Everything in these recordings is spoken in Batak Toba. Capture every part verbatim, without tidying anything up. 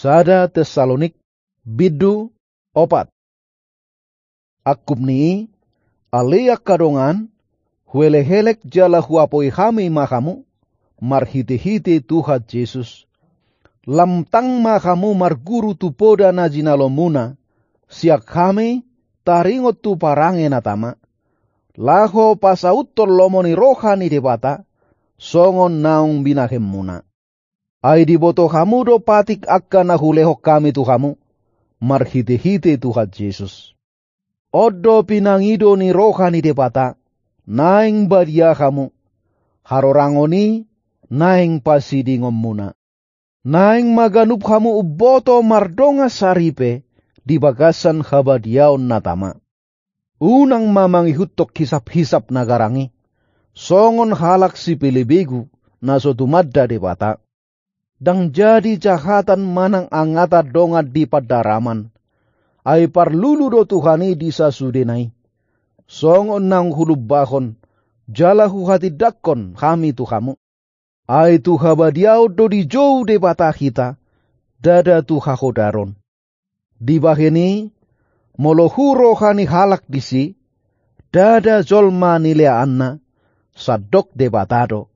Sada Tessalonik, bindu, opat. Angkup ni i, ale angka dongan, huelehelek jala huapoi hami ma hamu, marhitehite Tuhan Jesus. Lam tang ma hamu marguru tu poda na jinalomuna, sian hami taringot tu parange na tama, laho pasauthon lomo ni roha ni Debata, songon naung binahenmuna. Ai diboto hamu do patik angka na hulehon hami tu hamu, marhitehite Tuhan Jesus. On do pinangido ni roha ni Debata, naeng badia hamu, harorangon i naeng pasidingonmuna. Naeng ma ganup hamu umboto mardongan saripe di bagasan habadiaon na tama. Unang ma mangihuthon hisaphisap na garang i, songon halak sipelebegu na so tumanda Debata. Ndang jadi jahatan manang angatan dongan di pandaraman. Ai parlulu do Tuhan i di sasudena i. Songon naung hulumbahon, jala huhatindangkon hami tu hamu. Ai tu habadiaon do dijou Debata hita, ndada tu hahodaron. Dibahen i, molo hu roha ni halak disi, ndada jolma nileaanna, sandok Debata do,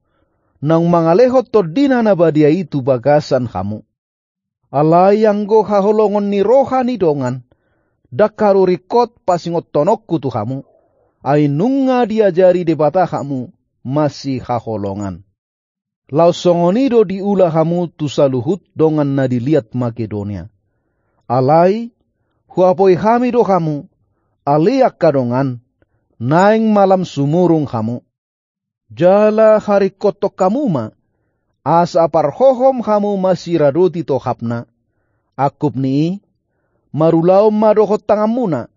naung mangalehon tondina na badia i tu bagasan hamu. Alai anggo haholongon ni roha ni dongan, ndang haru ringkot pasingothononku tu hamu, ai nunga diajari Debata hamu masihaholongan. Laos songon i do diula hamu tu saluhut dongan na di liat Makedonia. Alai, huapoi hami do hamu, ale angka dongan, naeng ma lam sumurung hamu. Jala haringkothon hamu ma, asa parhohom hamu masiradoti tohapna. Angkup ni i, marulaon ma dohot tanganmuna,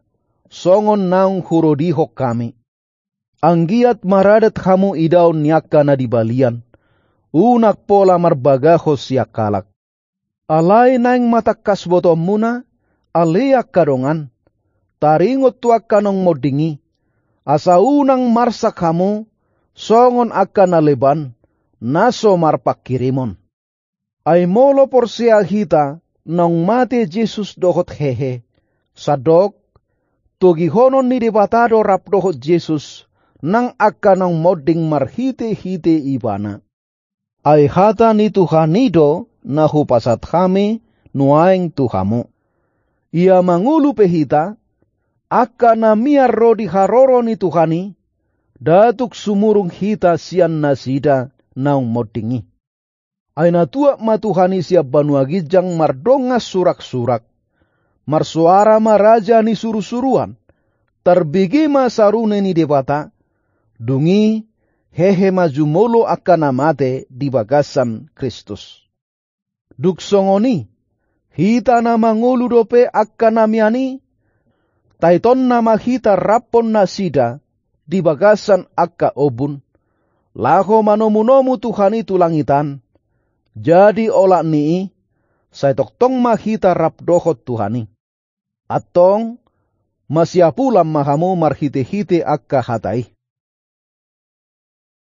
songon naung hurodihon hami. Anggiat maradat hamu idaon ni angka na di balian, unang pola marbagahon sian halak. Alai naeng ma tangkas botoonmuna, ale angka dongan, taringot tu angka naung monding i, asa unang marsak hamu, songon angka na leban, na so marpangkirimon. Ai molo porsea hita, naung mate Jesus dohot hehe, sandok, togihonon ni Debata do rap dohot Jesus, nang angka naung monding marhitehite ibana. Ai hata ni Tuhan i do na hupasahat hami nuaeng tu hamu. Ia mangolu pe hita, angka na mian ro di haroro ni Tuhan i, ndada tung sumurung hita sian nasida naung monding i. Ai na tuat ma Tuhan i sian banua ginjang mardongan suraksurak. Marsoara ma raja ni surusuruan. Tarbege ma sarune ni Debata. Dung i hehe ma jumolo angka na mate di bagasan Kristus. Dung songon i, hita na mangolu dope angka na mian i, taitonna ma hita raphon nasida di bagasan angka ombun, laho manomunomu Tuhan i tu langit an. Jadi olat ni i, sai tongtong ma hita rap dohot Tuhan i. Antong, masiapulan ma hamu marhitehite angka hata i.